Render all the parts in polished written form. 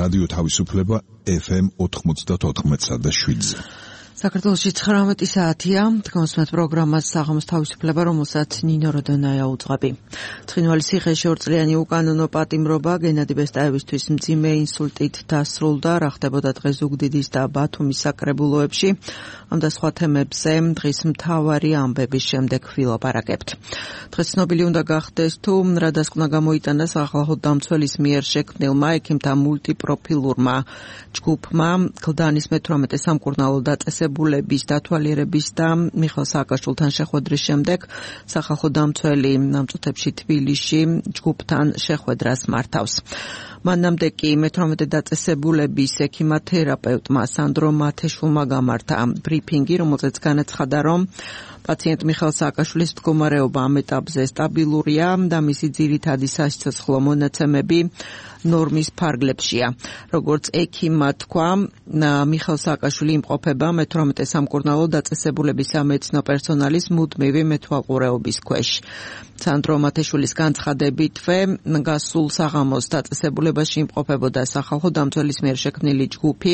რადიო თავისუფლება FM 94.7-ზე. საქართველოში 19 საათია, თქვენს პროგრამას საღამოს თავისუფლება, რომელსაც ნინო როდონაია უძღვები. ცხინვალის ციხეში 2 წლიანი უკანონო პატიმრობა გენადი ბესტაევისთვის მძიმე ინსულტით დასრულდა, რა ხდებოდა დღეს ზუგდიდის და ბათუმის საკრებულოებში. ამ და სხვა თემებზე დღის მთავარი ამბების შემდეგ ვილაპარაკებთ. დღეს ცნობილი უნდა გახდეს თუ რა დასკვნა გამოიტანა სახალხო დამცველის მიერ შექმნილმა ექიმთა მულტიპროფილურმა ჯგუფმა გლდანის მე-18 სამკურნალო დაწესებულების დათვალიერების და მიხეილ სააკაშვილთან შეხვედრის შემდეგ სახალხო დამცველი ნამწუთებში თბილისში ჯგუფთან შეხვედრას მართავს. მანამდე კი მე-18 დაწესებულების ექიმათერაპევტმა სანდრო მათეშვილმა გამართა ბრიფინგი, რომელზეც განაცხადა, რომ პაციენტ მიხეილ სააკაშვილის მდგომარეობა ამ ეტაპზე სტაბილურია და მისი ძირითადი სასიცოცხლო მონაცემები ნორმის ფარგლებშია. როგორც ექიმმა თქვა, მიხეილ სააკაშვილი იმყოფება მე-18 სამკურნალო დაწესებულების სამედიცინო პერსონალის მუდმივი მეთვალყურეობის ქვეშ. სანდრო მათეშვილის განცხადებითვე გასულ საღამოს დაწესებულებაში იმყოფებოდა სახალხო დამცველის მიერ შექმნილი ჯგუფი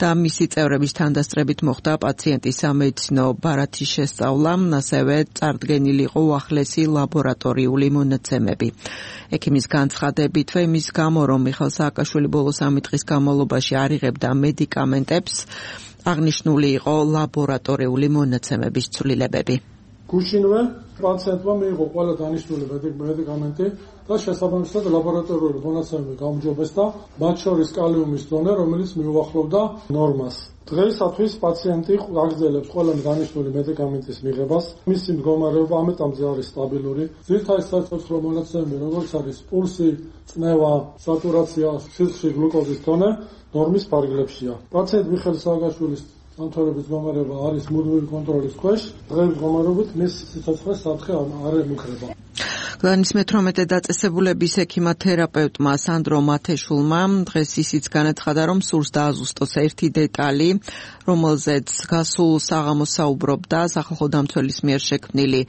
და მისი წევრების თანდასწრებით მოხდა პაციენტის სამედიცინო ბარათის შესწავლა, ასევე წარდგენილი იყო უახლესი ლაბორატორიული მონაცემები. ექიმის განცხადებითვე იმის გამო, რომ მიხეილ სააკაშვილი ბოლო 3 დღის განმავლობაში არ იღებდა მედიკამენტებს, აღნიშნული იყო ლაბორატორიული მონაცემების ცვლილებები. გუშინვე პაციენტმა მიიღო ყველა დანიშნული მედიკამენტი და შესაბამისად ლაბორატორიული მონაცემები გაუმჯობესდა, მათ შორის კალიუმის დონე, რომელიც მიუახლოვდა ნორმას. დღეისათვის პაციენტი აგრძელებს ყველა დანიშნული მედიკამენტის მიღებას. მისი მდგომარეობა ამ ეტაპზე არის სტაბილური. ძირითადი სასიცოცხლო მონაცემები, როგორც არის პულსი, წნევა, სატურაცია, სისხლის გლუკოზის დონე, ნორმის ფარგლებშია. პაციენტ მიხეილ სააკაშვილის დამცველების მდგომარეობა არის მუდმივი კონტროლის ქვეშ. დღეს მდგომარეობით მის სიცოცხლეს საფრთხე არ ემუქრება. გლდანის მე-18 დაწესებულების ექიმათერაპევტმა სანდრო მათეშვილმა დღეს ისიც განაცხადა, რომ სურს დააზუსტოს ერთი დეტალი, რომელზეც გასულ საღამოს საუბრობდა სახალხო დამცველის მიერ შექმნილი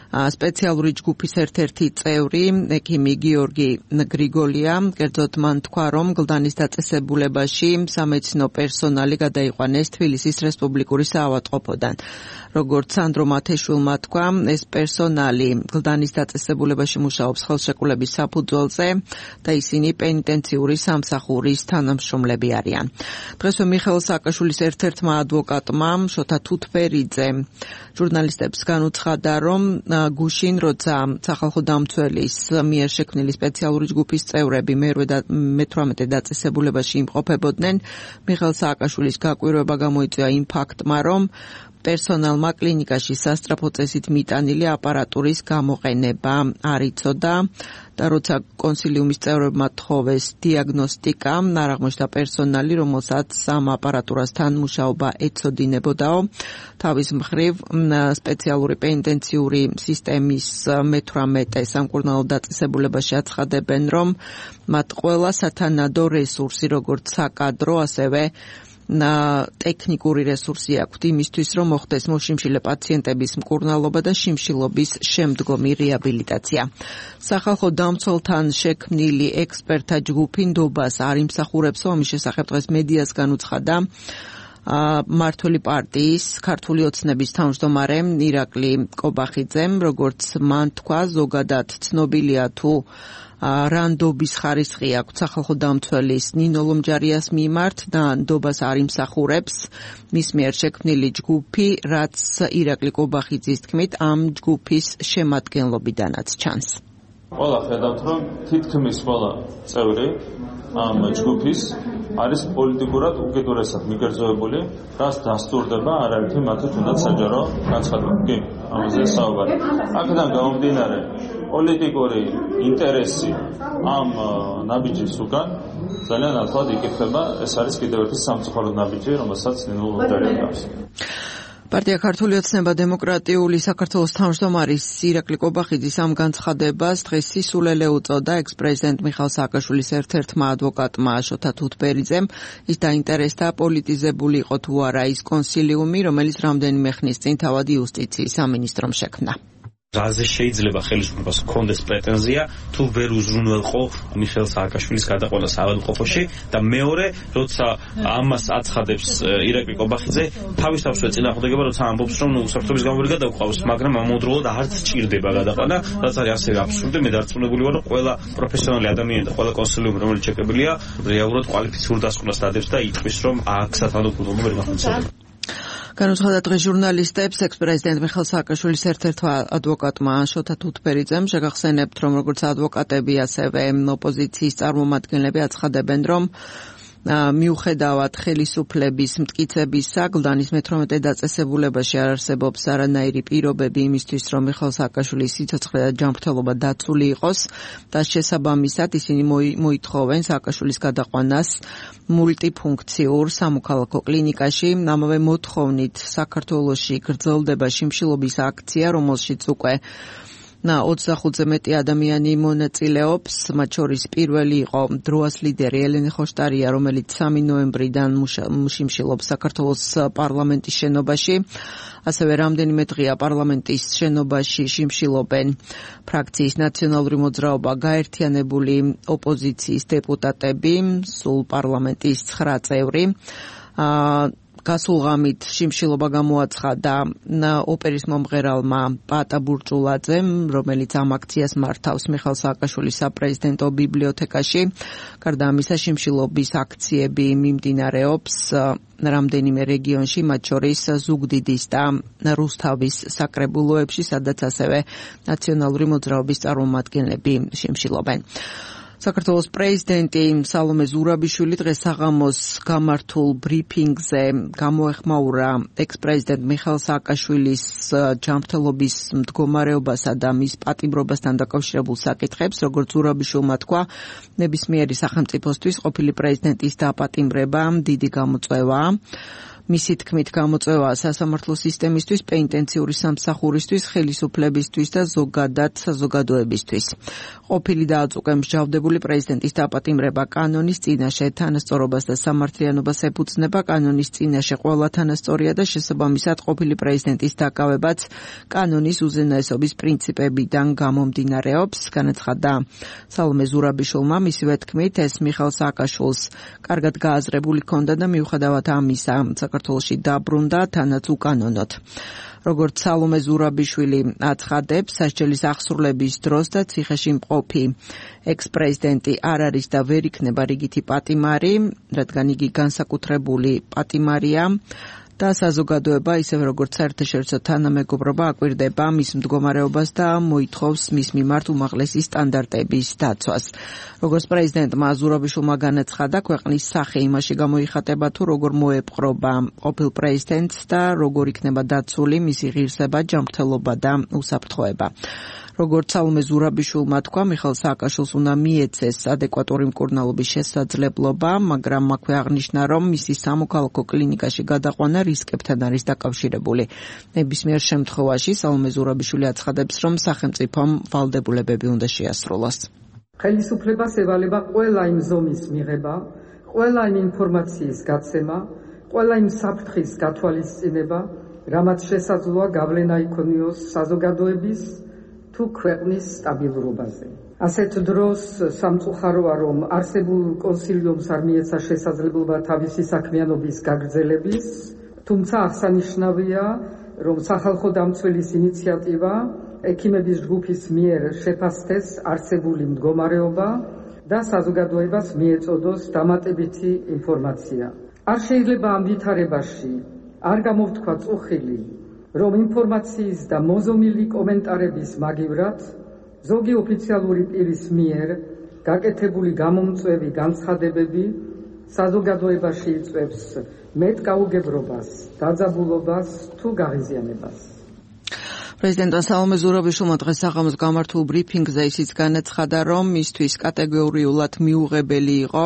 სპეციალური ჯგუფის ერთ-ერთი წევრი, ექიმი გიორგი გრიგოლია. კერძოდ მან თქვა, რომ გლდანის დაწესებულებაში სამედიცინო პერსონალი გადაიყვანეს თბილისის რესპუბლიკური საავადმყოფოდან. როგორც სანდრო მათეშვილმა თქვა, ეს პერსონალი გლდანის დაწესებულებაში მუშაობს ხელშეკრულების საფუძველზე და ისინი პენიტენციური სამსახურის თანამშრომლები არიან. დღესვე მიხეილ სააკაშვილის ერთ-ერთმა ადვოკატმა შოთა თუთბერიძემ ჟურნალისტებს განუცხადა, რომ გუშინ, როცა სახალხო დამცველის მიერ შექმნილი სპეციალური ჯგუფის წევრები მე-18 დაწესებულებაში იმყოფებოდნენ, მიხეილ სააკაშვილის გაკვირვება გამოიწვია იმ ფაქტმა, რომ პერსონალმა კლინიკაში სასწრაფო წესით მიტანილი აპარატურის გამოყენება არ იცოდა და როცა კონსილიუმის წევრებმა თხოვეს დიაგნოსტიკა, არ აღმოჩნდა პერსონალი, რომელსაც ამ აპარატურასთან მუშაობა ეცოდინებოდაო. თავის მხრივ სპეციალური პენიტენციური სისტემის მე-18 სამკურნალო დაწესებულებაში აცხადებენ, რომ მათ ყველა სათანადო რესურსი, როგორც საკადრო, ასევე ტექნიკური რესურსი აქვთ იმისთვის, რომ მოხდეს მოშიმშილე პაციენტების მკურნალობა და შიმშილობის შემდგომი რეაბილიტაცია. სახალხო დამცველთან შექმნილი ექსპერტთა ჯგუფი ნდობას არ იმსახურებსო, ამის შესახებ დღეს მედიას განუცხადა მმართველი პარტიის ქართული ოცნების თავმჯდომარე ირაკლი კობახიძემ. როგორც მან თქვა, ზოგადად ცნობილია თუ რა ნდობის ხარისხი აქვს სახალხო დამცველის ნინო ლომჯარიას მიმართ და ნდობას არ იმსახურებს მის მიერ შექმნილი ჯგუფი, რაც ირაკლი კობახიძის თქმით ამ ჯგუფის შემადგენლობიდანაც ჩანს. ყველა ხედავთ, რომ თითქმის ყველა წევრი ამ ჯგუფის არის პოლიტიკურად უკიდურესად მიგერძოებული, რაც დასტურდება არაერთი მათი თუნდაც საჯარო განცხადება. კი, ამაზე საუბარი. აქედან გამომდინარე, პოლიტიკური ინტერესი ამ ნაბიჯის უკან ძალიან ახლად იკითხება. ეს არის კიდევ ერთი სამწუხარო ნაბიჯი, რომელსაც ნინო ლომჯარია გავს. პარტია ქართული ოცნება დემოკრატიული საქართველოს თავმჯდომარის ირაკლი კობახიძის ამ განცხადებას დღეს სისულელე უწოდა ექს-პრეზიდენტ მიხეილ სააკაშვილის ერთ-ერთმა ადვოკატმა შოთა თუთბერიძემ. ის დაინტერესდა პოლიტიზებული იყო თუ არა ის კონსილიუმი, რომელიც რამდენიმე ხნის წინ თავად იუსტიციის სამინისტრომ შექმნა. რაზე შეიძლება ხელისუფლებას ჰქონდეს პრეტენზია თუ ვერ უზრუნველყო მიხეილ სააკაშვილის გადაყვანა საავადმყოფოში და მეორე როცა ამას აცხადებს ირაკლი კობახიძე თავისთავად წინააღმდეგება როცა ამბობს რომ უსაფრთხოების გამო ვერ გადავყავს მაგრამ ამავდროულად არც ჭირდება გადაყვანა რაც არის ასევე აბსურდი მე დარწმუნებული ვარ რომ ყველა პროფესიონალი ადამიანი და ყველა კონსულიუმი რომელიც შეკებელია რეალურად კვალიფიციურ დასკვნას დადებს და იტყვის რომ აქ სათანადო ვერ განხორციელდება განუცხადა დღეს ჟურნალისტებს ექს-პრეზიდენტ მიხეილ სააკაშვილის ერთ-ერთმა ადვოკატმა შოთა თუთბერიძემ შეგახსენებთ რომ როგორც ადვოკატები ასევე ოპოზიციის წარმომადგენლები აცხადებენ რომ მიუხედავად ხელისუფლების მტკიცებისა გლდანის მე-18 დაწესებულებაში არ არსებობს არანაირი პირობები იმისთვის რომ მიხეილ სააკაშვილის სიცოცხლე და ჯანმრთელობა დაცული იყოს და შესაბამისად ისინი მოითხოვენ სააკაშვილის გადაყვანას მულტიფუნქციურ სამოქალაქო კლინიკაში ამავე მოთხოვნით საქართველოში გრძელდება შიმშილობის აქცია რომელშიც უკვე 25-ზე მეტი ადამიანი მონაწილეობს, მათ შორის პირველი იყო დროას ლიდერი ელენე ხოშტარია, რომელიც 3 ნოემბრიდან შიმშილობს საქართველოს პარლამენტის შენობაში. ასევე რამდენიმე დღეა პარლამენტის შენობაში შიმშილობენ ფრაქციის ნაციონალური მოძრაობა გაერთიანებული ოპოზიციის დეპუტატები, სულ პარლამენტის 9 წევრი. გასულღამით შიმშილობა გამოაცხადა ოპერის მომღერალმა პატა ბურჭულაძემ, რომელიც ამ აქციას მართავს მიხეილ სააკაშვილის საპრეზიდენტო ბიბლიოთეკაში. გარდა ამისა, შიმშილობის აქციები მიმდინარეობს რამდენიმე რეგიონში, მათ შორის ზუგდიდის და რუსთავის საკრებულოებში, სადაც ასევე ნაციონალური მოძრაობის წარმომადგენლები შიმშილობენ. საქართველოს პრეზიდენტი სალომე ზურაბიშვილი დღეს საღამოს გამართულ ბრიფინგზე გამოეხმაურა ექს-პრეზიდენტ მიხეილ სააკაშვილის ჯანმრთელობის მდგომარეობასა და მის პატიმრობასთან დაკავშირებულ საკითხებს, როგორც ზურაბიშვილმა თქვა, ნებისმიერი სახელმწიფოსთვის ყოფილი პრეზიდენტის დაპატიმრება დიდი გამოწვევაა. მისი თქმით გამოწვევა სასამართლო სისტემისთვის, პენიტენციური სამსახურისთვის, ხელისუფლებისთვის და ზოგადად საზოგადოებისთვის. ყოფილი და აწუყე მსჯავრდებული პრეზიდენტის დაპატიმრება კანონის წინაშე თანასწორობას და სამართლიანობას ეფუძნება, კანონის წინაშე ყველა თანასწორია და შესაბამისად ყოფილი პრეზიდენტის დაკავებაც კანონის უზენაესობის პრინციპებიდან გამომდინარეობს, განაცხადა სალომე ზურაბიშვილმა. მისივე თქმით, ეს მიხეილ სააკაშვილს კარგად გააზრებული ჰქონდა და მიუხედავად ამისა საქართველოში დაბრუნდა თანაც უკანონოდ. როგორც სალომე ზურაბიშვილი აცხადებს, სასჯელის აღსრულების დროს და ციხეში მყოფი ექს-პრეზიდენტი არ არის და ვერ იქნება რიგითი პატიმარი, რადგან იგი განსაკუთრებული პატიმარია და საზოგადოება, ისევე როგორც საერთაშორისო თანამეგობრობა აკვირდება მის მდგომარეობას და მოითხოვს მის მიმართ უმაღლესი სტანდარტების დაცვას. როგორც პრეზიდენტმა ზურაბიშვილმა განაცხადა, ქვეყნის სახე იმაში გამოიხატება თუ როგორ მოეპყრობა ყოფილ პრეზიდენტს და როგორ იქნება დაცული მისი ღირსება, ჯანმრთელობა და უსაფრთხოება. როგორც სალომე ზურაბიშვილმა თქვა, მიხეილ სააკაშვილს უნდა მიეცეს ადეკვატური მკურნალობის შესაძლებლობა, მაგრამ აქვე აღნიშნა, რომ მისი სამოქალაქო კლინიკაში გადაყვანა რისკებთან არის დაკავშირებული. ნებისმიერ შემთხვევაში სალომე ზურაბიშვილი აცხადებს, რომ სახელმწიფომ ვალდებულებები უნდა შეასრულოს. ხელისუფლებას ევალება ყველა იმ ზომის მიღება, ყველა იმ ინფორმაციის გაცემა, ყველა იმ საფრთხის გათვალისწინება, რამაც შესაძლოა გავლენა იქონიოს საზოგადოების თუ ქვეყნის სტაბილურობაზე. ასეთ დროს სამწუხაროა, რომ არსებულ კონსილიუმს არ მიეცა შესაძლებლობა თავისი საქმიანობის გაგრძელების, თუმცა აღსანიშნავია, რომ სახალხო დამცველის ინიციატივა ექიმების ჯგუფის მიერ შეფასდეს არსებული მდგომარეობა და საზოგადოებას მიეწოდოს დამატებითი ინფორმაცია. არ შეიძლება ამ ვითარებაში არ გამოვთქვა წუხილი, რომ ინფორმაციის და მოზომილი კომენტარების მაგივრად ზოგი ოფიციალური პირის მიერ გაკეთებული გამომწვევი განცხადებები საზოგადოებაში იწვევს მეტკაუგებრობას, დაძაბულობას თუ გაღიზიანებას. პრეზიდენტმა სალომე ზურაბიშვილმა დღეს საღამოს გამართულ ბრიფინგზე ისიც განაცხადა, რომ მისთვის კატეგორიულად მიუღებელი იყო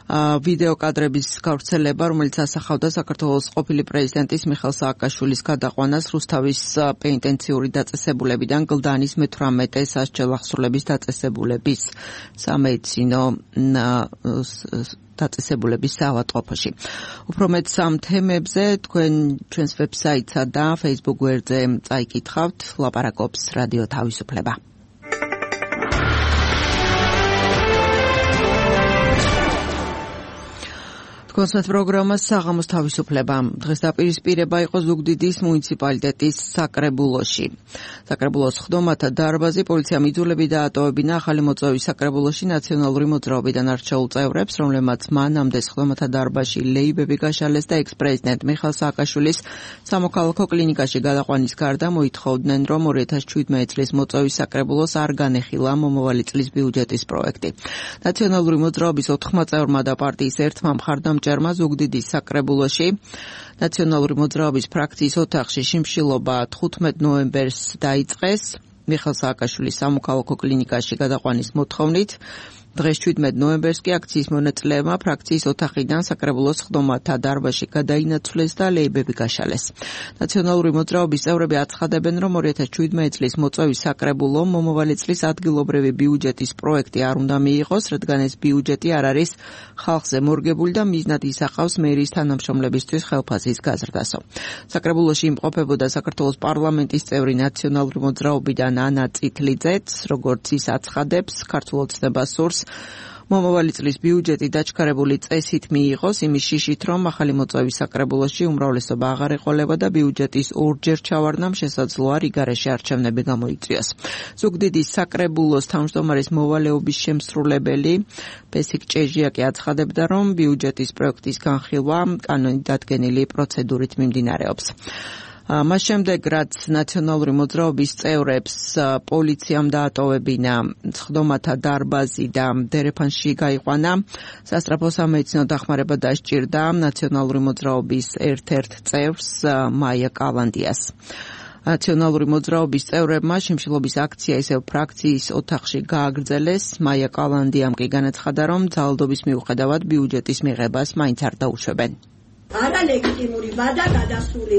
ვიდეო კადრების გავრცელება, რომელიც ასახავდა საქართველოს ყოფილი პრეზიდენტის მიხეილ სააკაშვილის გადაყვანას რუსთავის პენიტენციური დაწესებულებიდან გლდანის მე-18 სასჯელ აღსრულების დაწესებულების სამედიცინო დაწესებულების საავადმყოფოში. უფრო მეტ სამ თემებზე ჩვენს ვებსაიტსა და Facebook გვერდზე წაიკითხავთ, ლაპარაკობს რადიო თავისუფლება. კონსერტ პროგრამა საღამოს თავისუფლება. დღეს დაპირისპირება იყო ზუგდიდის მუნიციპალიტეტის საკრებულოში. საკრებულოს ხდომათა დარბაზი პოლიციამ იძულები დაატოვებინა ახალი მოწვევის საკრებულოში ნაციონალური მოძრაობიდან არჩეულ წევრებს, რომლებმაც მანამდე ხდომათა დარბაზში ლეიბები გაშალეს და ექს-პრეზიდენტ მიხეილ სააკაშვილის სამოქალაქო კლინიკაში გადაყვანის გარდა მოითხოვდნენ, რომ 2017 წლის მოწვევის საკრებულოს არ განეხილა მომავალი წლის ბიუჯეტის პროექტი. ნაციონალური მოძრაობის 4 წევრმა და პარტიის ერთმა მხარდამჭერმა ზუგდიდის საკრებულოში ნაციონალური მოძრაობის ფრაქციის ოთახში შიმშილობა 15 ნოემბერს დაიწყეს მიხეილ სააკაშვილის სამოქალაქო კლინიკაში გადაყვანის მოთხოვნით. დღეს 17 ნოემბერს კი აქციის მონაწილეებმა ფრაქციის ოთახიდან საკრებულოს ხდომათა დარბაზში გადაინაცვლეს და ლეიბები გაშალეს. ნაციონალური მოძრაობის წევრები აცხადებენ, რომ 2017 წლის მოწვევის საკრებულო მომავალი წლის ადგილობრივი ბიუჯეტის პროექტი არ უნდა მიიღოს, რადგან ეს ბიუჯეტი არ არის ხალხზე მორგებული და მიზნად ისახავს მერიის თანამშრომლებისთვის ხელფასის გაზრდასო. საკრებულოში იმყოფებოდა საქართველოს პარლამენტის წევრი ნაციონალური მოძრაობიდან ანა წითლიძეც, როგორც ის აცხადებს, ქართულ ოცნებას სურს მომავალი წლის ბიუჯეტი დაჩქარებული წესით მიიღოს, იმის შიშით, რომ ახალი მოწვევის საკრებულოში უმრავლესობა აღარ ეყოლება და ბიუჯეტის ორჯერ ჩავარდნამ შესაძლოა რიგარეში არჩევნები გამოიწვიოს. ზუგდიდის საკრებულოს თავმჯდომარის მოვალეობის შემსრულებელი ბესიკ ჭეჟიაკი აცხადებდა, რომ ბიუჯეტის პროექტის განხილვა კანონით დადგენილი პროცედურით მიმდინარეობს. მას შემდეგ, რაც ნაციონალური მოძრაობის წევრებს პოლიციამ დაატოვებინა ხდომათა დარბაზი და დერეფანში გაიყვანა, სასწრაფო სამედიცინო დახმარება დასჭირდა ნაციონალური მოძრაობის ერთ-ერთ წევრს მაია კალანდიას. ნაციონალური მოძრაობის წევრებმა შიმშილობის აქცია ისევ ფრაქციის ოთახში გააგრძელეს. მაია კალანდიამ კი განაცხადა, რომ ძალადობის მიუხედავად ბიუჯეტის მიღებას მაინც არ დაუშვებენ. არალეგიტიმური ვადა გადასული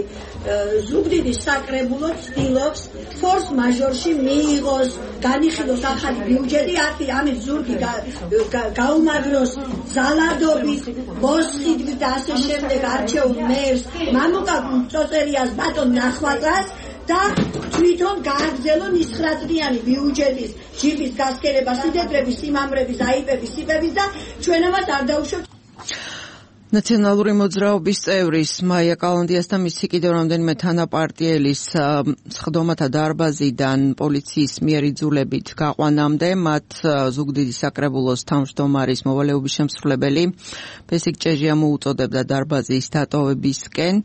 ზუგდიდის საკრებულო ცდილობს ფორს მაჟორში მიიღოს, განიხილოს ახალი ბიუჯეტი, ამის ზურგი გაუმაგროს ძალადობით, მოსყიდვით და ასე შემდეგ არჩეულ მერს, მამუკა წოწერიას, ბატონ ნახვაწას და თვითონ გააგრძელონ 9 წლიანი ბიუჯეტის ჯიბის გასქერება, სიდეტრების, სიმამრების, აიპების, სიპების და ჩვენ ამას არ დაუშვებთ. ნაციონალური მოძრაობის წევრის მაია კალანდიას და მისი კიდევ რამდენიმე თანაპარტიელის ხდომათა დარბაზიდან პოლიციის მიერ იძულებით გაყვანამდე მათ ზუგდიდის საკრებულოს თავმჯდომარის მოვალეობის შემსრულებელი ბესიკ ჭეჟია მოუწოდებდა დარბაზის დატოვებისკენ.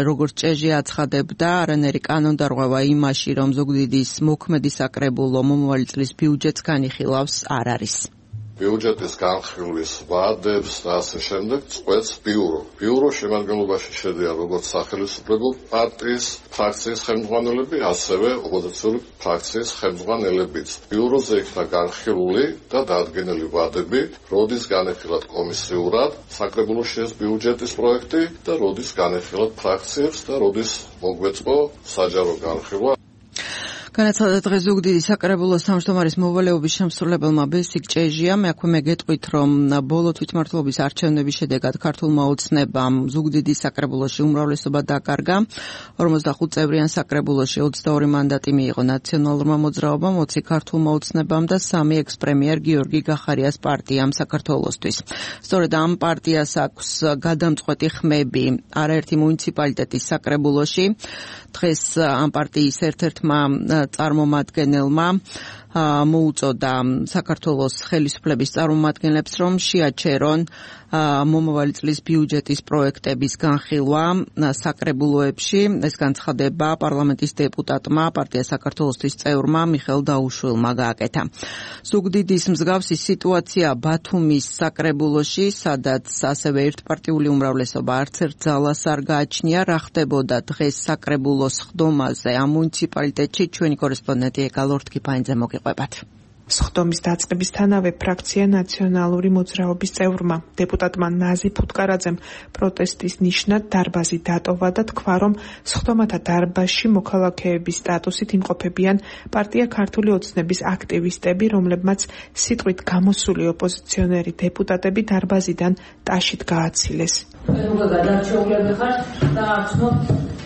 როგორც ჭეჟია აცხადებდა, არანაირი კანონდარღვევა იმაში, რომ ზუგდიდის მოქმედი საკრებულო მომავალი წლის ბიუჯეტს განიხილავს, არ არის. ბიუჯეტის განხილვის ვადებს და ასე შემდეგ წყვეტს ბიურო. ბიუროს შემადგენლობაში შედიან როგორც სახელმწიფო პარტიის ფრაქციის ხელმძღვანელები, ასევე ოპოზიციური ფრაქციის ხელმძღვანელებიც. ბიუროზე იქნა განხილული და დადგენილი ვადები, როდის განეხილათ კომისიურად საკრებულოში ეს ბიუჯეტის პროექტი და როდის განეხილათ ფრაქციებს და როდის მოგვეწყო საჯარო განხილვა. განაცხადა დღეს ზუგდიდის საკრებულოს თავმჯდომარის მოვალეობის შემსრულებელმა ბესიკ ჭეჟიამ. აქვე მე გეტყვით, რომ ბოლო თვითმმართველობის არჩევნების შედეგად ქართულმა ოცნებამ ზუგდიდის საკრებულოში უმრავლესობა დაკარგა. 45 წევრიან საკრებულოში 22 მანდატი მიიღო ნაციონალურმა მოძრაობამ, 20 ქართულმა ოცნებამ და 3 ექს-პრემიერ გიორგი გახარიას პარტიამ საქართველოსთვის. სწორედ ამ პარტიას აქვს გადამწყვეტი ხმები არაერთი მუნიციპალიტეტის საკრებულოში. დღეს ამ პარტიის ერთ-ერთმა წარმომადგენელმა მოუწოდა საქართველოს ხელისუფლების წარმომადგენლებს, რომ შეაჩერონ მომავალი წლის ბიუჯეტის პროექტების განხილვა საკრებულოებში. ეს განცხადება პარლამენტის დეპუტატმა პარტია საქართველოსთვის წევრმა მიხეილ დაუშვილმა გააკეთა. ზუგდიდის მსგავსი სიტუაცია ბათუმის საკრებულოში, სადაც ასევე ერთპარტიული უმრავლესობა არც ერთ ძალას არ გააჩნია. რა ხდებოდა დღეს საკრებულოს ხდომაზე ამ მუნიციპალიტეტში, ჩვენი კორესპონდენტი ეკალორთ კიფაინძე მოგიყვებათ. სხდომის დაწყებისთანავე ფრაქცია ნაციონალური მოძრაობის წევრმა დეპუტატმა ნაზი ფუტკარაძემ პროტესტის ნიშნად დარბაზი დატოვა და თქვა, რომ სხდომათა დარბაზში მოქალაქეების სტატუსით იმყოფებიან პარტია ქართული ოცნების აქტივისტები, რომლებმაც სიტყვით გამოსული ოპოზიციონერი დეპუტატები დარბაზიდან ტაშით გააცილეს. გადარჩეულები ხარ და ახსნოთ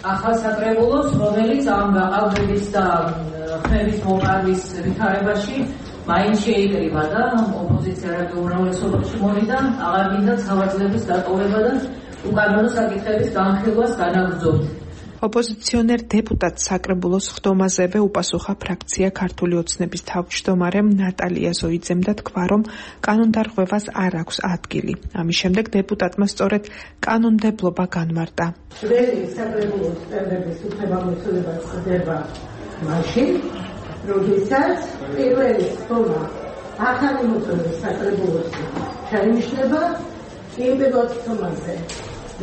ახალ საკრებულოს, რომელიც ამ გაყალბების და ხმების მოპარვის ვითარებაში მაინც შეიკრიბა და ოპოზიცია რაბი უმრავლესობაში მოვიდა, აღარ გინდა სავარძლების დატოვება და უკანონო საკითხების განხილვას განაგრძობთ. ოპოზიციონერ დეპუტატ საკრებულოს ხდომაზევე უპასუხა ფრაქცია ქართული ოცნების თავმჯდომარემ ნატალია ზოიძემ და თქვა, რომ კანონდარღვევას არ აქვს ადგილი. ამის შემდეგ დეპუტატმა სწორედ კანონმდებლობა განმარტა. საკრებულოს წევრების უფლებამოსილება ხდება მაშინ, როდესაც პირველი ხდომა ახალი მოწვევის საკრებულოსი შეინიშნება, იმ პირველ ხდომაზე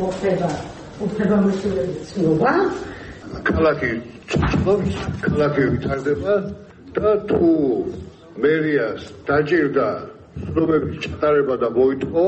მოხდება უფლებამოსილების ცნობა. ქალაქი ცდილობს, ქალაქი ვითარდება და თუ მერიას დაჭირდა ცნობების ჩატარება და მოითხოვა,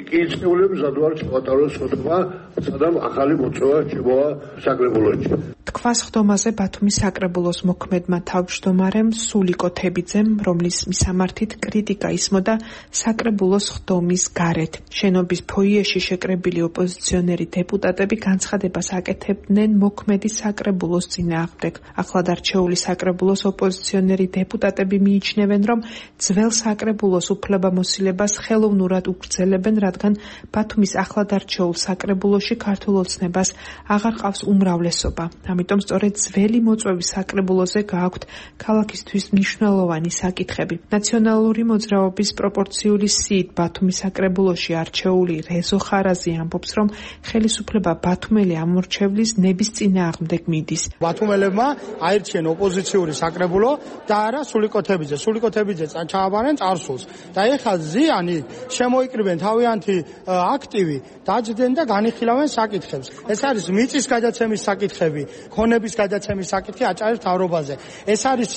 კი ცნებულებს ზადვარ ჩავატაროს სხდომა, სადამ ახალი მოწვევა შემოვა საკრებულოში. თქვა სხდომაზე ბათუმის საკრებულოს მოქმედმა თავმჯდომარემ სულიკო თებიძემ, რომლის მისამართით კრიტიკა ისმოდა საკრებულოს ხდომის გარეთ. შენობის ფოიეში შეკრებილი ოპოზიციონერი დეპუტატები განცხადებას აკეთებდნენ მოქმედი საკრებულოს წინააღმდეგ. ახლად არჩეული საკრებულოს ოპოზიციონერი დეპუტატები მიიჩნევენ, რომ ძველ საკრებულოს უფლებამოსილებას ხელოვნურად უგრძელებენ, რადგან ბათუმის ახლად არჩეულ საკრებულოში ქართულ ოცნებას აღარ ყავს უმრავლესობა. ამიტომ სწორედ ძველი მოწვევის საკრებულოზე გააქვთ ქალაქისთვის მნიშვნელოვანი საკითხები. ნაციონალური მოძრაობის პროპორციული სიით ბათუმის საკრებულოში არჩეული რეზო ხარაზი ამბობს, რომ ხელისუფლება ბათუმელი ამორჩევლის ნების წინააღმდეგ მიდის. ბათუმელებმა აირჩიენ ოპოზიციური საკრებულო და არა სულიკო თებიძე. სულიკო თებიძე ჩააბარენ წარსულს და ეხლა ზიანი შემოიკრიბენ თავიანთი აქტივი, დაჯდნენ და განიხილავენ საკითხებს. ეს არის მიწის გადაცემის საკითხები, ქონების გადაცემის საკითხი აჭარის მთავრობაზე. ეს არის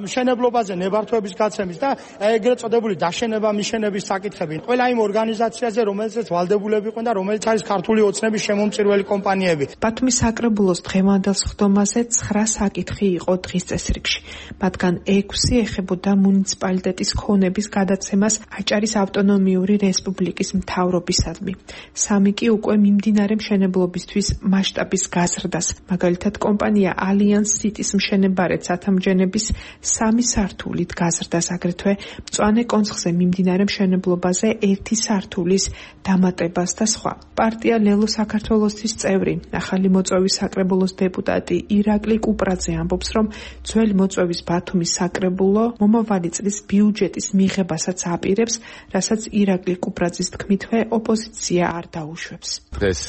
მშენებლობაზე ნებართვების გაცემის და ეგრეთ წოდებული დაშენება მიშენების საკითხები. ყველა იმ ორგანიზაციაზე, რომელზეც ვალდებულები იყვნენ და რომელიც არის ქართული ოცნების შემომწირველი კომპანიები. ბათუმის საკრებულოს დღევანდელ სხდომაზე 9 საკითხი იყო დღის წესრიგში. მათგან 6 ეხებოდა მუნიციპალიტეტის ქონების გადაცემას აჭარის ავტონომიური რესპუბლიკის მთავრობისადმი. 3 კი უკვე მიმდინარე მშენებლობისთვის მასშტაბის გაზრდას. მაგალითად, კომპანია ალიანს სიტის მშენებარეთ სათამჯენების 3 სართულით გაზრდას, აგრეთვე მწვანე კონცხზე მიმდინარე მშენებლობაზე 1 სართულის დამატებას და სხვა. პარტია ლელო საქართველოსთვის წევრი, ახალი მოწვევის საკრებულოს დეპუტატი ირაკლი კუპრაძე ამბობს, რომ ძველი მოწვევის ბათუმის საკრებულო მომავალი წლის ბიუჯეტის მიღებასაც აპირებს, რასაც ირაკლი კუპრაძის თქმითვე ოპოზიცია არ დაუშვებს. დღეს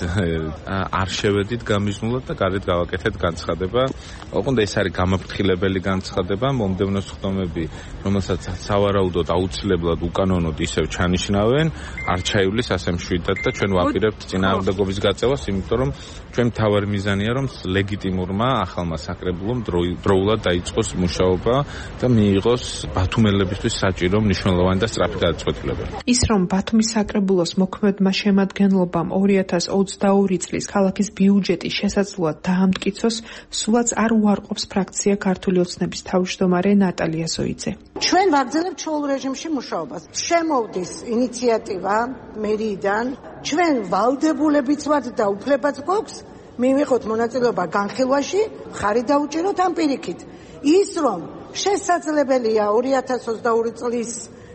არ შევედით გამიზნულად და გარეთ გავაკეთეთ განცხადება. ოღონდ ეს არის გამაფრთხილებელი განცხადება, მომდევნო სხდომები, რომელსაც სავარაუდოდ აუცილებლად უკანონოდ ისევ ჩანიშნავენ, არ ჩაივლის ასე მშვიდად და ჩვენ ვაპირებთ წინააღმდეგობის გაწევას, იმიტომ რომ ჩვენ მთავარი მიზანია, რომ ლეგიტიმურმა ახალმა საკრებულომ დროულად დაიწყოს მუშაობა და მიიღოს ბათუმელებისთვის საჭირო მნიშვნელოვანი და სწრაფი გადაწყვეტილებები. ის რომ ბათუმის საკრებულოს მოქმედმა შემადგენლობამ 2022 წლის ქალაქის ბიუჯეტი შესაძლოა დაამტკიცოს, სულაც არ უარყოფს ფრაქცია ქართული ოცნების თავმჯდომარე ნატალია ზოიძე. ჩვენ ვაგრძელებთ ჩვეულ რეჟიმში მუშაობას. შემოვდის ინიციატივა მერიიდან, ჩვენ ვალდებულებიც ვართ და უფლებაც გვაქვს მივიღოთ მონაწილეობა განხილვაში, ხარი დაუჭიროთ ამ პირიქით. ის რომ შესაძლებელია 2022 წლის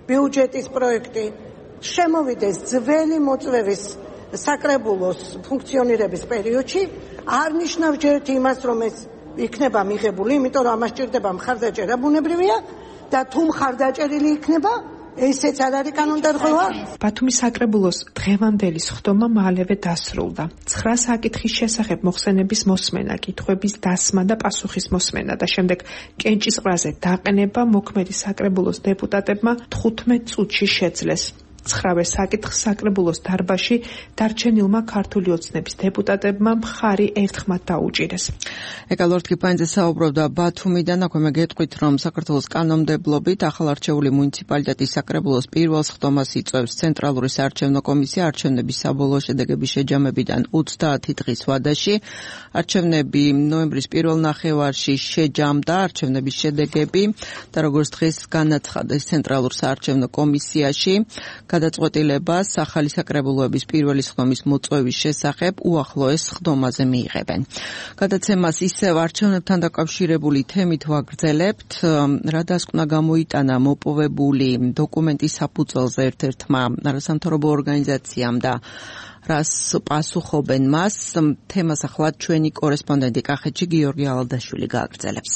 ბიუჯეტის პროექტი შემოვიდეს ძველი მოწვევის საკრებულოს ფუნქციონირების პერიოდში, არ ნიშნავს ჯერთ იმას, რომ ეს იქნება მიღებული, იმიტომ რომ ამას ჭირდება მხარდაჭერა ბუნებრივია და თუ მხარდაჭერილი იქნება, ესეც არ არის კანონდარღვევა. ბათუმის საკრებულოს დღევანდელი სხდომა მალევე დასრულდა. 9 საკითხის შესახებ მოხსენების მოსმენა, კითხვების დასმა და პასუხის მოსმენა და შემდეგ კენჭისყრაზე დაყენება მოქმედი საკრებულოს დეპუტატებმა 15 წუთში შეძლეს. 9-ვე საკითხს საკრებულოს დარბაზში დარჩენილმა ქართული ოცნების დეპუტატებმა მხარი ერთხმად დაუჭირეს. ეკალორთ კიპანიძე საუბრობდა ბათუმიდან, აქვე მე გეტყვით, რომ საქართველოს კანონმდებლობით ახალარჩეული მუნიციპალიტეტის საკრებულოს პირველ სხდომას იწვევს ცენტრალური საარჩევნო კომისია არჩევნების საბოლოო შედეგების შეჯამებიდან 30 დღის ვადაში. არჩევნები ნოემბრის პირველ ნახევარში შეჯამდა არჩევნების შედეგები და როგორც დღეს განაცხადეს ცენტრალურ საარჩევნო კომისიაში, გადაწყვეტილებას ახალი საკრებულოების პირველი სხდომის მოწვევის შესახებ უახლოეს სხდომაზე მიიღებენ. გადაცემას ისევ არჩევნებთან დაკავშირებული თემით ვაგრძელებთ. რა დასკვნა გამოიტანა მოპოვებული დოკუმენტის საფუძველზე ერთ-ერთმა არასამთავრობო ორგანიზაციამ და რას პასუხობენ მას, თემას ახლა ჩვენი კორესპონდენტი კახეთში გიორგი ალადაშვილი გააგრძელებს.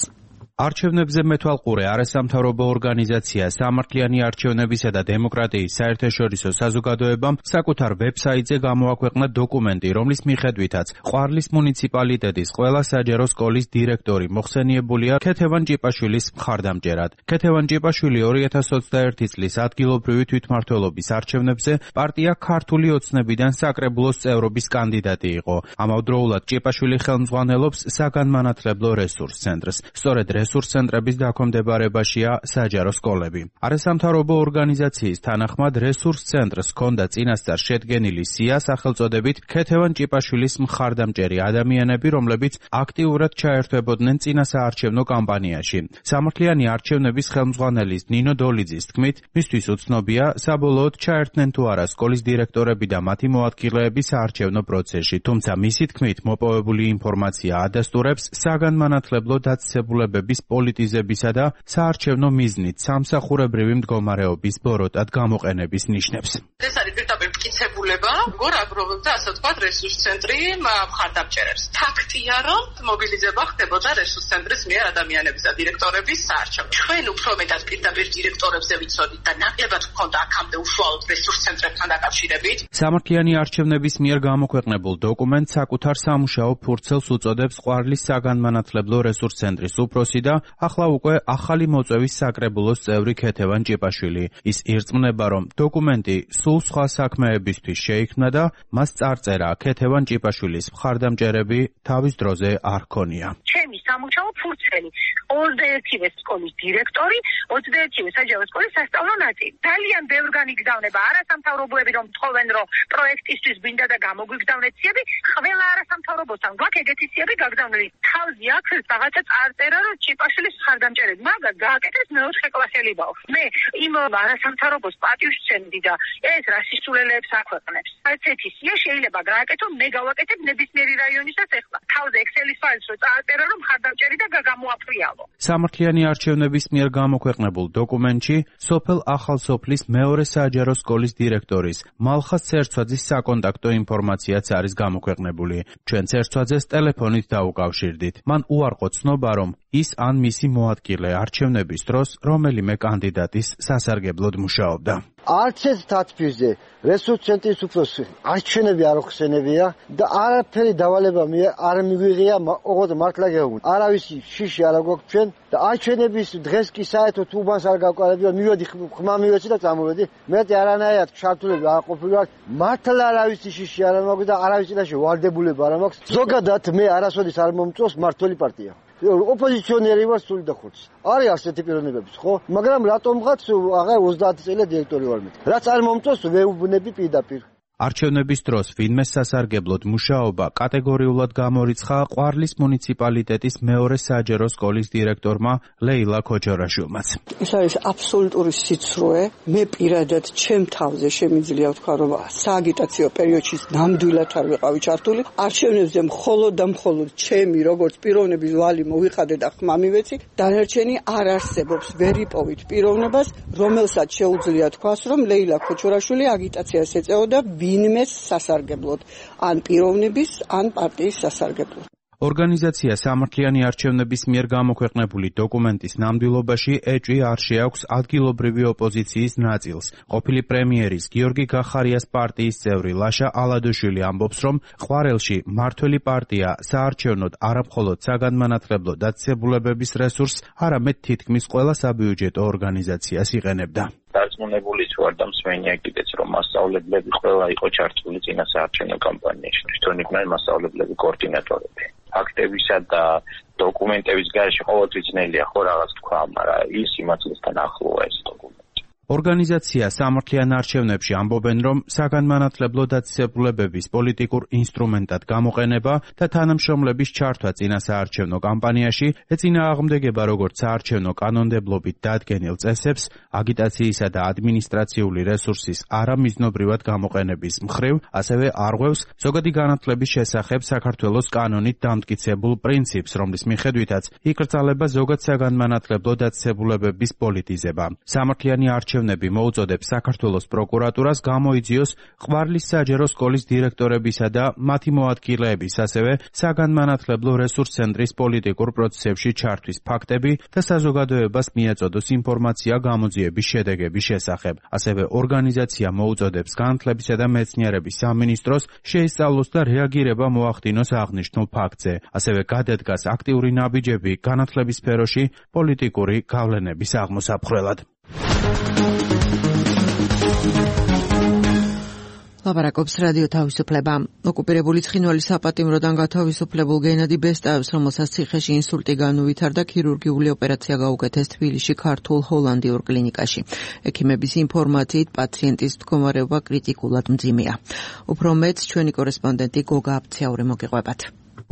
არჩევნებზე მეთვალყურე არასამთავრობო ორგანიზაცია სამართლიანი არჩევნებისა და დემოკრატიის საერთაშორისო საზოგადოებამ საკუთარ ვებსაიტზე გამოაქვეყნა დოკუმენტი, რომლის მიხედვითაც ყვარლის მუნიციპალიტეტის ყველა საჯარო სკოლის დირექტორი მოხსენიებულია ქეთევან ჭიპაშვილის მხარდამჭერად. ქეთევან ჭიპაშვილი 2021 წლის ადგილობრივი თვითმმართველობის არჩევნებზე პარტია ქართული ოცნებიდან საკრებულოს წევრობის კანდიდატი იყო. ამავდროულად ჭიპაშვილი ხელმძღვანელობს საგანმანათლებლო რესურს ცენტრს. სწორედ რესურს ცენტრების დაქვემდებარებაშია საჯარო სკოლები. არასამთავრობო ორგანიზაციის თანახმად რესურს ცენტრს ჰქონდა წინასწარ შედგენილი სია სახელწოდებით ქეთევან ჭიპაშვილის მხარდამჭერი ადამიანები, რომლებიც აქტიურად ჩაერთვებოდნენ წინასაარჩევნო კამპანიაში. სამართლიანი არჩევნების ხელმძღვანელის ნინო დოლიძის თქმით, მისთვის უცნობია საბოლოოდ ჩაერთნენ თუ არა სკოლის დირექტორები და მათი მოადგილეები საარჩევნო პროცესში, თუმცა მისი თქმით მოპოვებული ინფორმაცია ადასტურებს საგანმანათლებლო დაწესებულებების პოლიტიზებისა და საარჩევნო მიზნით სამსახურებრივი მდგომარეობის ბოროტად გამოყენების ნიშნებს. ეს არის პირდაპირ მტკიცებულება, როგორ აგროვებდა, ასე ვთქვათ, რესურს ცენტრი მხარდამჭერებს. ფაქტია, რომ მობილიზება ხდებოდა რესურს ცენტრის მიერ ადამიანების და დირექტორების საარჩევნო. ჩვენ უფრო მეტად პირდაპირ დირექტორებზე ვიცოდით და ნაკლებად გვქონდა აქამდე უშუალოდ რესურს ცენტრებთან დაკავშირებით. სამართლიანი არჩევნების მიერ გამოქვეყნებულ დოკუმენტს საკუთარ სამუშაო ფურცელს უწოდებს ყვარლის საგანმანათლებლო რესურს ცენტრის უფროსი და ახლა უკვე ახალი მოწვევის საკრებულოს წევრი ქეთევან ჭიპაშვილი. ის ირწმუნება, რომ დოკუმენტი სულ სხვა საქმეებისთვის შეიქმნა და მას წარწერა ქეთევან ჭიპაშვილის მხარდამჭერები თავის დროზე არ ჰქონია. ჩემი სამუშაო ფურცელი 21-ვე სკოლის დირექტორი, 21-ვე საჯარო სკოლის სასწავლო ნაწილი. ძალიან ბევრგანი გზავნება არასამთავრობოები, რომ თხოვენ, რომ პროექტისთვის გვინდა და გამოგვიგზავნეთ ციები, ყველა არასამთავრობოსთან გვაქვს ეგეთი ციები გაგზავნილი. თავზე აქ რაღაცა წარწერა, რომ ჭიპაშვილის მხარდამჭერები, მაგრამ გააკეთეს მეოთხე კლასელი ბავშვი. მე იმ არასამთავრობოს პატივს ვცემდი და ეს რა სისულელეებს აქვეყნებს. ესეთი სია შეიძლება გააკეთო, მე გავაკეთებ ნებისმიერი რაიონისაც ეხლა. თავზე ექსელის ფაილს რო წააწერა, რომ მხარდამჭერი და გაგამოაფრიალო. სამართლიანი არჩევნების მიერ გამოქვეყნებულ დოკუმენტში სოფელ ახალსოფლის მეორე საჯარო სკოლის დირექტორის მალხას ცერცვაძის საკონტაქტო ინფორმაციაც არის გამოქვეყნებული. ჩვენ ცერცვაძეს ტელეფონით დაუკავშირდით. მან უარყო ცნობა, რომ ის ან მისი მოადგილე არჩევნების დროს რომელიმე კანდიდატის სასარგებლოდ მუშაობდა. არც ეს თათბირზე რესურს ცენტრის უფროსი არჩევნები არ ხსენებია და არაფერი დავალება არ მიგვიღია, ოღონდ მართლა გეუბნ. არავისი შიში არ გვაქვს ჩვენ და არჩევნების დღეს კი საერთოდ უბანს არ გავყარებია, მივედი ხმა მივეცი და წამოვედი. მეტი არანაირად ჩართულები არ ყოფილვარ. მართლა არავისი შიში არ მაქვს და არავის წინაშე ვალდებულება არ მაქვს. ზოგადად მე არასოდეს არ მომწონს მართლი პარტია. ოპოზიციონერი ვარ სული და ხორცი. არის ასეთი პიროვნებებიც, ხო? მაგრამ რატომღაც აღარ 30 წელი დირექტორი ვარ მე. რაც არ მომწონს ვეუბნები პირდაპირ. არჩევნების დროს ვინმე სასარგებლოდ მუშაობა კატეგორიულად გამორიცხა ყვარლის მუნიციპალიტეტის მეორე საჯარო სკოლის დირექტორმა ლეილა ქოჯორაშვილმაც. ეს არის აბსოლუტური სიცრუე. მე პირადად ჩემ თავზე შემიძლია ვთქვა, რომ სააგიტაციო პერიოდში ნამდვილად არ ვიყავი ჩართული. არჩევნებზე მხოლოდ და მხოლოდ ჩემი როგორც პიროვნების ვალი მოვიხადე და ხმა მივეცი. დანარჩენი არ არსებობს. ვერ იპოვით პიროვნებას, რომელსაც შეუძლია თქვას, რომ ლეილა ქოჯორაშვილი აგიტაციას ეწეოდა ვინმეს სასარგებლოდ, ან პიროვნების, ან პარტიის სასარგებლოდ. ორგანიზაცია სამართლიანი არჩევნების მიერ გამოქვეყნებული დოკუმენტის ნამდვილობაში ეჭვი არ შეაქვს ადგილობრივი ოპოზიციის ნაწილს. ყოფილი პრემიერის გიორგი გახარიას პარტიის წევრი ლაშა ალადოშვილი ამბობს, რომ ყვარელში მართველი პარტია საარჩევნოდ არამხოლოდ საგანმანათლებლო დაწესებულებების რესურსს, არამედ თითქმის ყველა საბიუჯეტო ორგანიზაციას იყენებდა. რაც დარწმუნებული ვარ და მსმენია კიდეც რომ მასწავლებლები ყველა იყო ჩართული წინასაარჩევნო კამპანიაში. თვითონ იყვნენ მასწავლებლები კოორდინატორები. ფაქტებისა და დოკუმენტების გარეშე ყოველთვის ძნელია ხო რაღაც თქვა, მაგრამ ის იმათლისთან ახლოა ეს დოკუმენტი. ორგანიზაცია სამართლიან არჩევნებში ამბობენ, რომ საგანმანათლებლო დაწესებულებების პოლიტიკურ ინსტრუმენტად გამოყენება და თანამშრომლების ჩართვა წინასაარჩევნო კამპანიაში ეწინააღმდეგება როგორც საარჩევნო კანონმდებლობით დადგენილ წესებს, აგიტაციისა და ადმინისტრაციული რესურსის არამიზნობრივად გამოყენების მხრივ, ასევე არღვევს ზოგადი განათლების შესახებ საქართველოს კანონით დამტკიცებულ პრინციპს, რომლის მიხედვითაც იკრძალება ზოგად საგანმანათლებლო დაწესებულებების პოლიტიზება. სამართლიანი არჩევნები მოუწოდებს საქართველოს პროკურატურას გამოიძიოს ყვარლის საჯარო სკოლის დირექტორებისა და მათი მოადგილეების, ასევე საგანმანათლებლო რესურს ცენტრის პოლიტიკურ პროცესებში ჩართვის ფაქტები და საზოგადოებას მიეწოდოს ინფორმაცია გამოძიების შედეგების შესახებ. ასევე ორგანიზაცია მოუწოდებს განათლებისა და მეცნიერების სამინისტროს შეისწავლოს და რეაგირება მოახდინოს აღნიშნულ ფაქტზე. ასევე გადადგას აქტიური ნაბიჯები განათლების სფეროში პოლიტიკური გავლენების აღმოსაფხრელად. ლაპარაკობს რადიო თავისუფლება. ოკუპირებული ცხინვალის საპატიმროდან გათავისუფლებულ გენადი ბესტაევს, რომელსაც ციხეში ინსულტი განუვითარდა, ქირურგიული ოპერაცია გაუკეთეს თბილისში ქართულ ჰოლანდიურ კლინიკაში. ექიმების ინფორმაციით პაციენტის მდგომარეობა კრიტიკულად მძიმეა. უფრო მეტს ჩვენი კორესპონდენტი გოგა აბცაური მოგიყვებათ.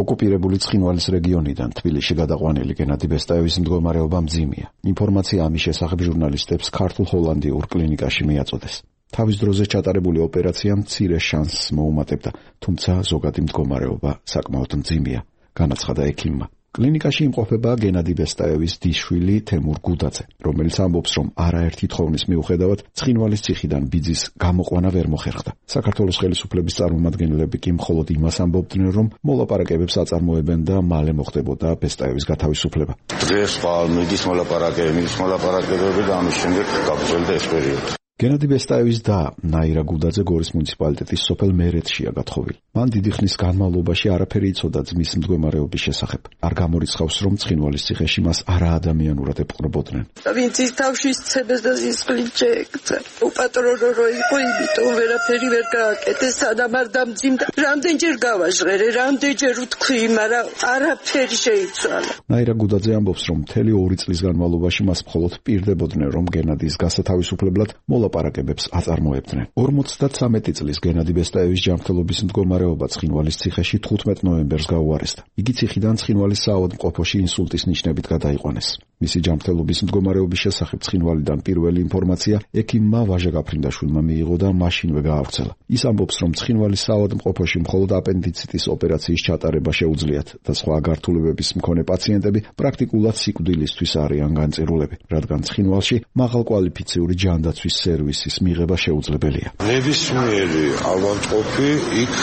ოკუპირებული ცხინვალის რეგიონიდან თბილისში გადაყვანილი გენადი ბესტაევის მდგომარეობა მძიმეა. ინფორმაცია ამის შესახებ ჟურნალისტებს ქართულ ჰოლანდიურ კლინიკაში მიაწოდეს. თავის დროზე ჩატარებული ოპერაცია მცირე შანსს მოუმატებდა, თუმცა ზოგადი მდგომარეობა საკმაოდ მძიმეა, განაცხადა ექიმმა. კლინიკაში იმყოფება გენადი ბესტაევის დიშვილი თემურ გუდაძე, რომელიც ამბობს, რომ არაერთი თხოვნის მიუხედავად ცხინვალის ციხიდან ბიძის გამოყვანა ვერ მოხერხდა. საქართველოს ხელისუფლების წარმომადგენლები კი მხოლოდ იმას ამბობდნენ, რომ მოლაპარაკებებს აწარმოებენ და მალე მოხდებოდა ბესტაევის გათავისუფლება. დღეს მიდის მოლაპარაკებები და ამის შემდეგ გაგრძელდა ეს პერიოდი. გენადი ბესტაევის და ნაირა გუდაძე გორის მუნიციპალიტეტის სოფელ მერეთშია გათხოვილი. მან დიდი ხნის განმავლობაში არაფერი იცოდა ძმის მდგომარეობის შესახებ. არ გამორიცხავს, რომ ცხინვალის ციხეში მას არაადამიანურად ეპყრობოდნენ. ვინც ის თავში ცებას და სისხლით შეექცა. უპატრონო რო იყო, იმიტომ ვერაფერი ვერ გააკეთეს, სანამ არ დამძიმდა. რამდენჯერ გავაჟღერე, რამდენჯერ ვთქვი, მაგრამ არაფერი შეიცვალა. ნაირა გუდაძე ამბობს, რომ მთელი 2 წლის განმავლობაში მას მხოლოდ პირდებოდნენ, რომ გენადის გასათავისუფლებლად მოლაპარაკებებს აწარმოებდნენ. 53 წლის გენადი ბესტაევის ჯანმრთელობის მდგომარეობა ცხინვალის ციხეში 15 ნოემბერს გაუარესდა. იგი ციხიდან ცხინვალის საავადმყოფოში ინსულტის ნიშნებით გადაიყვანეს. მისი ჯანმრთელობის მდგომარეობის შესახებ ცხინვალიდან პირველი ინფორმაცია ექიმმა ვაჟა გაფრინდაშვილმა მიიღო და მაშინვე გაავრცელა. ის ამბობს, რომ ცხინვალის საავადმყოფოში მხოლოდ აპენდიციტის ოპერაციის ჩატარება შეუძლიათ და სხვა გართულებების მქონე პაციენტები პრაქტიკულად სიკვდილისთვის არიან განწირულები, რადგან ცხინვალში მაღალკვალიფიციური ჯანდაცვის სერვისის მიღება შეუძლებელია. ნებისმიერი ავადმყოფი იქ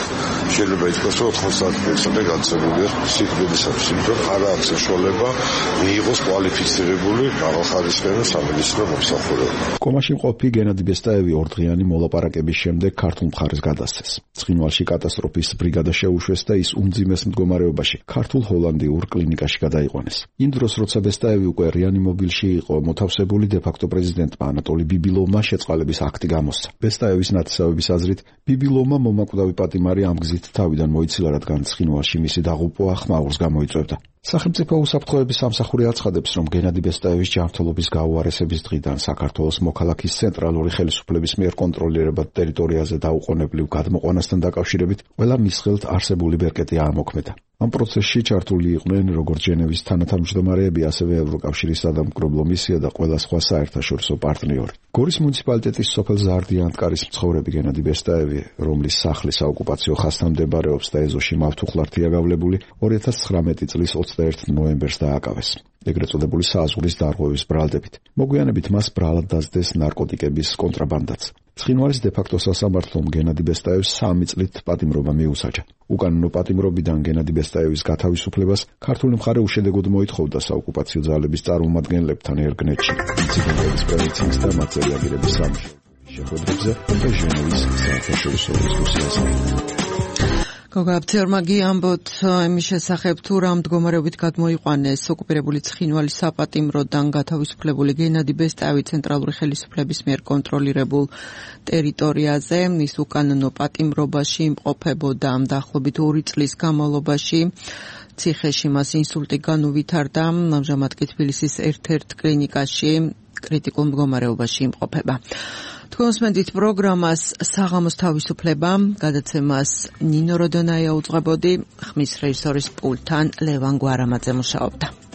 შეიძლება ითქვას, რომ 90% განცემულია სიკვდილისათვის, იმიტომ არ აქვს საშუალება მიიღოს კვალიფიცირებული მაღალხარისხიანი სამედიცინო მომსახურება. კომაში მყოფი გენადი ბესტაევი 2 დღიანი მოლაპარაკების შემდეგ ქართულ მხარეს გადასცეს. ცხინვალში კატასტროფის ბრიგადა შეუშვეს და ის უმძიმეს მდგომარეობაში ქართულ ჰოლანდიურ კლინიკაში გადაიყვანეს. იმ დროს, როცა ბესტაევი უკვე რეანიმობილში იყო მოთავსებული, დე-ფაქტო პრეზიდენტმა ანატოლი ბიბილოვმა შეწყალების აქტი გამოსცა. ბესტაევის ნათესავების აზრით, ბიბილოვმა მომაკვდავი პატიმარი ამ გზით თავიდან მოიცილა, რადგან ცხინვალში მისი დაღუპვა ხმაურს გამოიწვევდა. სახელმწიფო უსაფრთხოების სამსახური აცხადებს, რომ გენადი ბესტაევის ჯანმრთელობის გაუარესების დღიდან საქართველოს მოქალაქის ცენტრალური ხელისუფლების მიერ კონტროლირებად ტერიტორიაზე დაუყოვნებლივ გადმოყვანასთან დაკავშირებით ყველა მის ხელთ არსებული ბერკეტი ამოქმედა. ამ პროცესში ჩართული იყვნენ როგორც ჟენევის თანათავმჯდომარეები, ასევე ევროკავშირის სადამკვირვებლო მისია და ყველა სხვა საერთაშორისო პარტნიორი. გორის მუნიციპალიტეტის სოფელ ზარდიანტკარის მცხოვრები გენადი ბესტაევი, რომლის სახლი საოკუპაციო ხაზთან მდებარეობს და ეზოში მავთუხლართია გავლებული, 2019 წლის 21 ნოემბერს დააკავეს. ეგრეთ წოდებული სააზღვრის დარღვევის ბრალდებით. მოგვიანებით მას ბრალად დასდეს ნარკოტიკების კონტრაბანდაც. ცხინვალის დე-ფაქტო სასამართლომ გენადი ბესტაევს 3 წლით პატიმრობა მიუსაჯა. უკანონო პატიმრობიდან გენადი ბესტაევის გათავისუფლებას ქართული მხარე უშედეგოდ მოითხოვდა საოკუპაციო ძალების წარმომადგენლებთან ერგნეტში. ინციდენტების პრევენციის და მათ რეაგირების სამუშაოების შეხვედრებზე და ჟენევის საერთაშორისო დისკუსიაზე. გოგაბცერმა გიამბოთ იმის შესახებ თუ რა მდგომარეობით გადმოიყვანეს ოკუპირებული ცხინვალის საპატიმროდან გათავისუფლებული გენადი ბესტაევი ცენტრალური ხელისუფლების მიერ კონტროლირებულ ტერიტორიაზე. ის უკანონო პატიმრობაში იმყოფებოდა დაახლოებით 2 წლის განმავლობაში. ციხეში მას ინსულტი განუვითარდა. ამჟამად კი თბილისის ერთ-ერთ კლინიკაში კრიტიკულ მდგომარეობაში იმყოფება. თქვენსმენდით პროგრამას საღამოს თავისუფლება, გადაცემას ნინო როდონაია უძღვებოდი, ხმის რეჟისორის პულტთან ლევან გვარამაძე მუშაობდა.